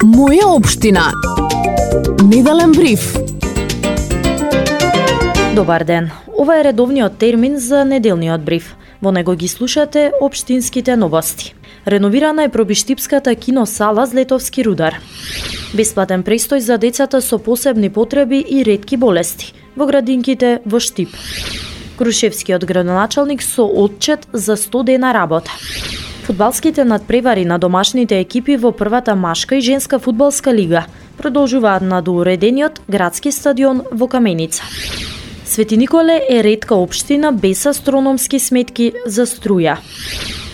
Моја општина. Неделен бриф. Добар ден. Ова е редовниот термин за неделниот бриф. Во него ги слушате општинските новости. Реновирана е пробиштипската киносала Злетовски рудар. Бесплатен престој за децата со посебни потреби и ретки болести во градинките во Штип. Крушевскиот градоначалник со отчет за 100 дена работа. Фудбалските надпревари на домашните екипи во првата машка и женска фудбалска лига продолжуваат на доуредениот градски стадион во Каменица. Свети Николе е ретка општина без астрономски сметки за струја.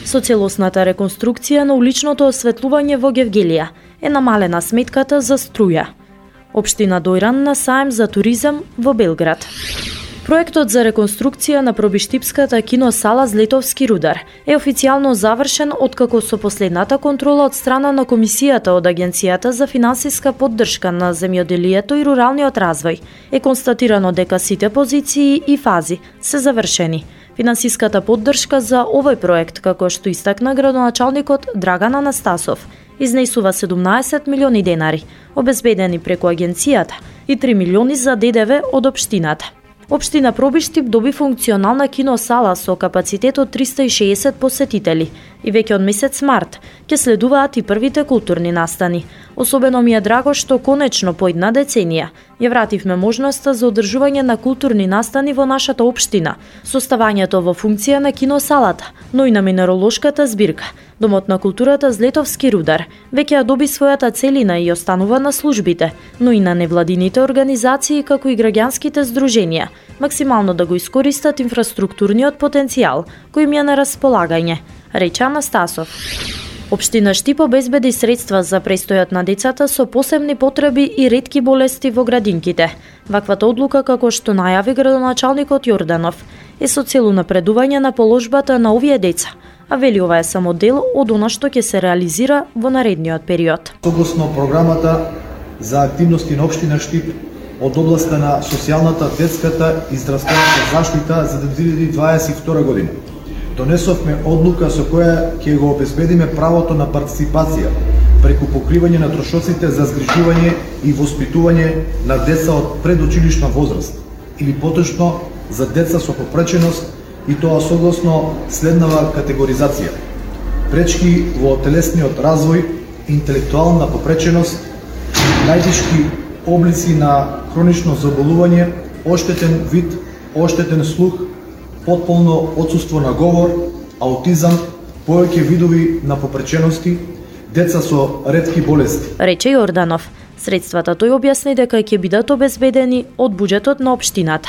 Со целосната реконструкција на уличното осветлување во Гевгелија е намалена сметката за струја. Општина Дојран на саем за туризам во Белград. Проектот за реконструкција на пробиштипската киносала Злетовски рудар е официјално завршен откако со последната контрола од страна на Комисијата од Агенцијата за финансиска поддршка на земјоделието и руралниот развој е констатирано дека сите позиции и фази се завршени. Финансиската поддршка за овој проект, како што истакна градоначалникот Драган Анастасов, изнесува 17 милиони денари, обезбедени преку агенцијата, и 3 милиони за ДДВ од општината. Општина Пробиштип доби функционална киносала со капацитет од 360 посетители и веќе од месец март ќе следуваат и првите културни настани. Особено ми е драго што конечно по една деценија ја вративме можноста за одржување на културни настани во нашата општина, со ставањето во функција на киносалата, но и на минеролошката збирка. Домот на културата Злетовски рудар веќе ја доби својата целина и останува на службите, но и на невладините организации како и граѓанските здруженија, максимално да го искористат инфраструктурниот потенцијал кој им е на располагање, рече Анастасов. Општина Штип обезбеди средства за престојот на децата со посебни потреби и ретки болести во градинките. Ваквата одлука, како што најави градоначалникот Јорданов, е со цел напредување на положбата на овие деца, а вели ова е само дел од она што ќе се реализира во наредниот период. Согласно програмата за активности на општина Штип од областа на социјалната, детската и здравствената заштита за 2022 година, донесовме одлука со која ќе го обезбедиме правото на партиципација преку покривање на трошоците за згрижување и воспитување на деца од предучилишна возраст или поточно за деца со попреченост, и тоа согласно следнава категоризација: пречки во телесниот развој, интелектуална попреченост, најтешки облици на хронично заболување, оштетен вид, оштетен слух, потполно отсуство на говор, аутизам, повеќе видови на попречености, деца со ретки болести, рече Јорданов. Средствата тој објасни дека ќе бидат обезбедени од буџетот на општината.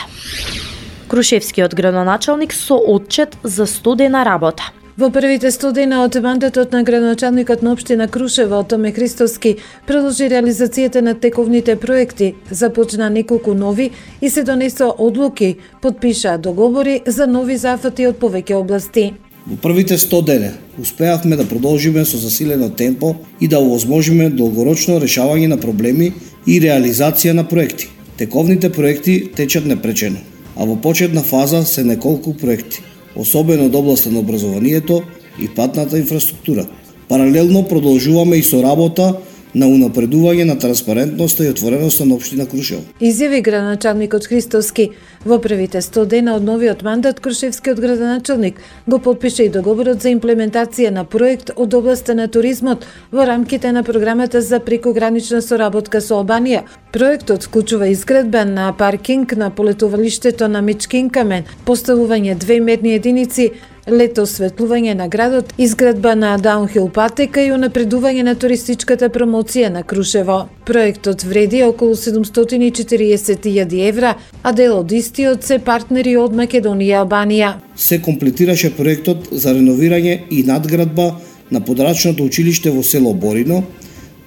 Крушевскиот градоначалник со отчет за 100 дена работа. Во првите 100 дена од мандатот на градоначалникот на општина Крушево, Томе Христоски, продолжи реализацијата на тековните проекти, започна неколку нови и се донесоа одлуки, подпишаа договори за нови зафати од повеќе области. Во првите 100 дена успеавме да продолжиме со засилено темпо и да овозможиме долгорочно решавање на проблеми и реализација на проекти. Тековните проекти течат непречено, а во почетна фаза се неколку проекти, особено од областа на образованието и патната инфраструктура. Паралелно продолжуваме и со работа на унапредување на транспарентноста и отвореноста на општина Крушево. Изјави градоначалникот Христоски. Во првите 100 дена од новиот мандат, крушевскиот градоначалник го подпиша и договорот за имплементација на проект од областа на туризмот во рамките на програмата за прекогранична соработка со Албанија. Проектот вклучува изградба на паркинг на полетувалиштето на Мичкин Камен, поставување 2 мерни единици, лето осветлување на градот, изградба на даунхил патека и унапредување на туристичката промоција на Крушево. Проектот вреди околу 740.000 евра, а дел од истиот се партнери од Македонија и Албанија. Се комплетираше проектот за реновирање и надградба на подрачното училиште во село Борино.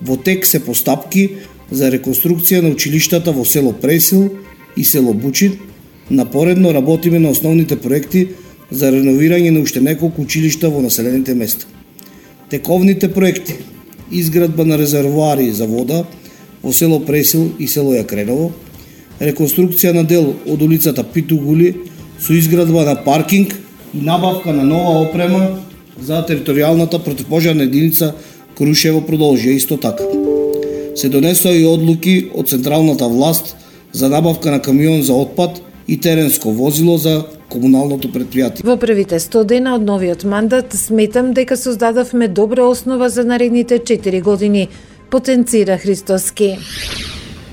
Во тек се постапки за реконструкција на училиштата во село Пресил и село Бучин. Напоредно работиме на основните проекти за реновирање на уште неколку училишта во населените места. Тековните проекти: изградба на резервоари за вода во село Пресил и село Јакреново, реконструкција на дел од улицата Питугули со изградба на паркинг и набавка на нова опрема за територијалната противпожарна единица Крушево продолжија исто така. Се донесоа и одлуки од централната власт за набавка на камион за отпад и теренско возило за комуналното предпријатие. Во првите 100 дена од новиот мандат сметам дека создадовме добра основа за наредните 4 години, потенцира Христоски.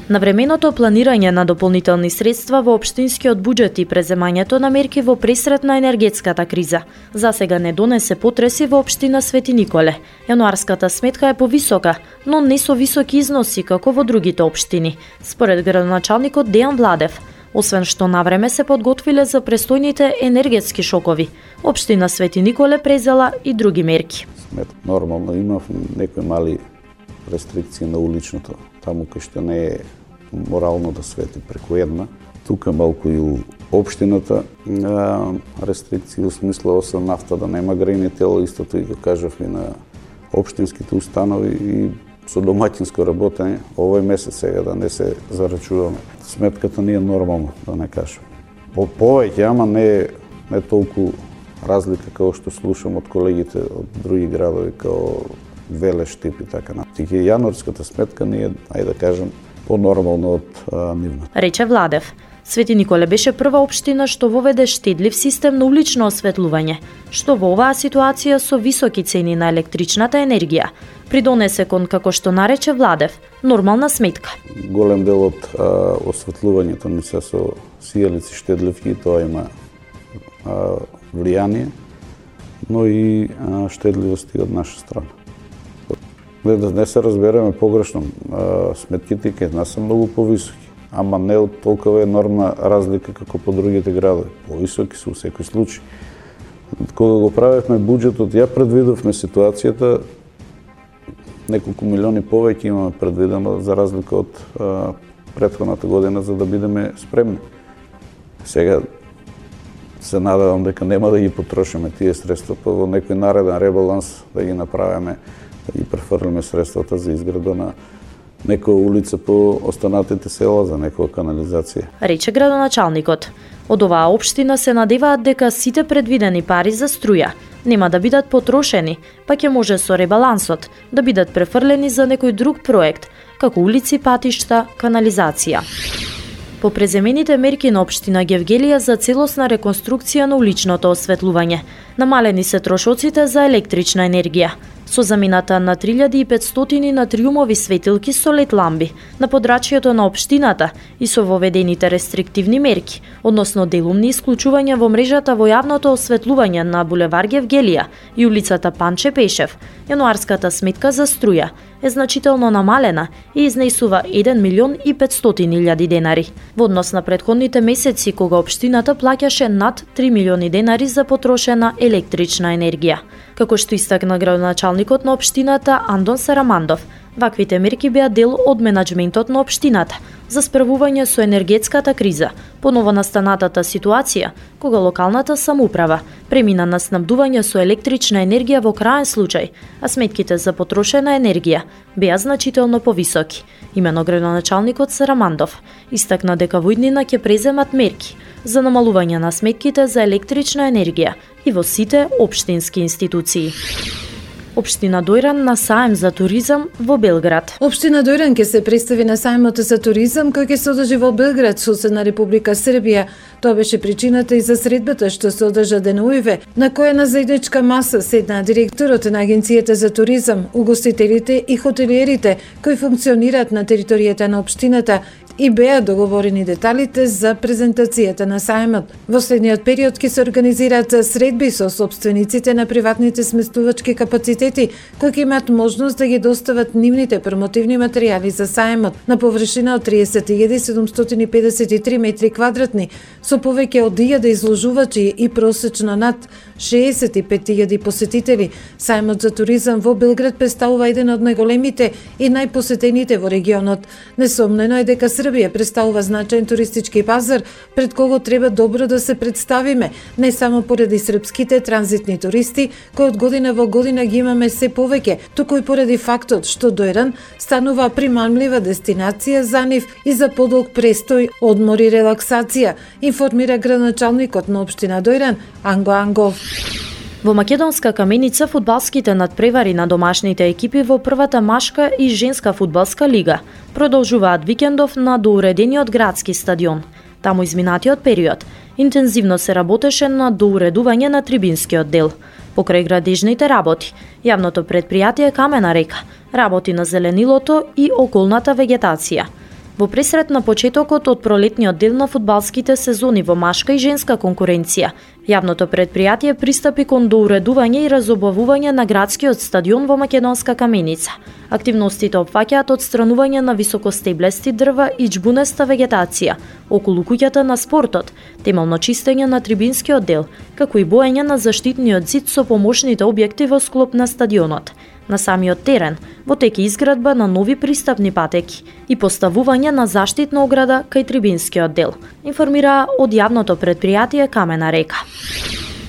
Навременото планирање на дополнителни средства во општинскиот буџет и преземањето на мерки во пресрет на енергетската криза засега не донесе потреси во општина Свети Николе. Јануарската сметка е повисока, но не со високи износи како во другите општини, според градоначалникот Дејан Владев. Освен што навреме се подготвиле за престојните енергетски шокови, општина Свети Николе презела и други мерки. Нормално имав некои мали рестрикции на уличното, таму кај што не е морално да свети преку една. Тука малку и у општината рестрикции, у смисла освен нафта да нема грејни тела, истото и го кажав и на општинските установи и со домаќинско работење, овој месец сега да не се зарачуваме. Сметката не е нормална, да не кажам. Повеќе, ама не толку разлика како што слушам од колегите од други градови, како Велеш тип и така натаму. Јануарската сметка не е, ајде да кажам, по-нормално од нивната. Рече Владев. Свети Николе беше прва општина што воведе штедлив систем на улично осветлување, што во оваа ситуација со високи цени на електричната енергија придонесе кон, како што нарече Владев, нормална сметка. Голем дел од осветлувањето ни се со сијалици штедливки, тоа има влијание, но и штедливости од наша страна. Да не се разбереме погрешно, сметките кај нас се многу повисоки, ама не од толкова енормна разлика како по другите градови. Повисоки се во секој случај. Кога го правевме буџетот, ја предвидовме ситуацијата, неколку милиони повеќе имаме предвидено за разлика од претходната година за да бидеме спремни. Сега се надевам дека нема да ги потрошиме тие средства, па во некој нареден ребаланс да ги направиме, да ги префрлиме средствата за изграда на некоја улица по останатите села, за некоја канализација. Рече градоначалникот. Од оваа општина се надеваат дека сите предвидени пари за струја нема да бидат потрошени, па ќе може со ребалансот да бидат префрлени за некој друг проект, како улици, патишта, канализација. По преземените мерки на општина Гевгелија за целосна реконструкција на уличното осветлување, намалени се трошоците за електрична енергија, со замената на 3500 натриумови светилки со лед ламби на подрачјето на општината и со воведените рестриктивни мерки, односно делумни исклучувања во мрежата во јавното осветлување на булевар Гевгелија и улицата Панче Пешев, јануарската сметка за струја е значително намалена и изнесува 1.500.000 денари, во однос на претходните месеци кога општината плаќаше над 3 милиони денари за потрошена електрична енергија. Како што истакна градоначалникот на општината Андон Сарамандов, ваквите мерки беа дел од менаџментот на општината за справување со енергетската криза, по новонастанатата ситуација, кога локалната самоуправа премина на снабдување со електрична енергија во краен случај, а сметките за потрошена енергија беа значително повисоки. Имено градоначалникот Сарамандов истакна дека во иднина ќе преземат мерки за намалување на сметките за електрична енергија и во сите општински институции. Општина Дојран на саем за туризам во Белград. Општина Дојран ќе се представи на саемот за туризам кој ќе се одржи во Белград, соседна Република Србија. Тоа беше причината и за средбата што се одржа денуиве, на која на заедничка маса седнаа директорот на Агенцијата за туризам, угостителите и хотелиерите кои функционираат на територијата на општината и беа договорени деталите за презентацијата на саемот. Во следниот период ќе се организираат средби со сопствениците на приватните сместувачки капацитети кои ќе имаат можност да ги достават нивните промотивни материјали за саемот на површина од 30.753 метри квадратни, со повеќе од 1000 изложувачи и просечно над 65.000 посетители. Саемот за туризам во Белград представува еден од најголемите и најпосетените во регионот. Несомнено е дека Србија представува значаен туристички пазар пред кого треба добро да се представиме, не само поради српските транзитни туристи, кои од година во година ги имаме се повеќе, туку и поради фактот што Дојран станува примамлива дестинација за нив и за подолг престој, одмор и релаксација, информира градоначалникот на општина Дојран Анго Ангов. Во Македонска Каменица фудбалските надпревари на домашните екипи во првата машка и женска фудбалска лига продолжуваат викендов на доуредениот градски стадион. Таму изминатиот период интензивно се работеше на доуредување на трибинскиот дел. Покрај градежните работи, јавното претпријатие Камена река работи на зеленилото и околната вегетација. Во пресрет на почетокот од пролетниот дел на фудбалските сезони во машка и женска конкуренција, јавното претпријатие пристапи кон доуредување и разобавување на градскиот стадион во Македонска Каменица. Активностите опфаќаат отстранување на високостеблести дрва и џбунеста вегетација околу куќата на спортот, темално чистење на трибинскиот дел, како и боење на заштитниот зид со помошните објекти во склоп на стадионот. На самиот терен во тек изградба на нови пристапни патеки и поставување на заштитна ограда кај трибинскиот дел, информира од јавното претпријатие Камена река.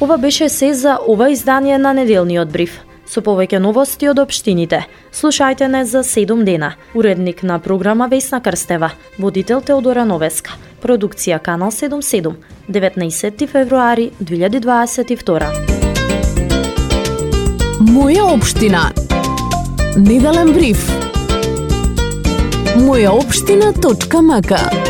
Ова беше се за ова издание на неделниот бриф. Со повеќе новости од општините, слушајте не за 7 дена. Уредник на програма Весна Крстева, водител Теодора Новеска, продукција Канал 77, 19 февруари 2022. Моја општина. Неделен бриф. Мојаопштина.мк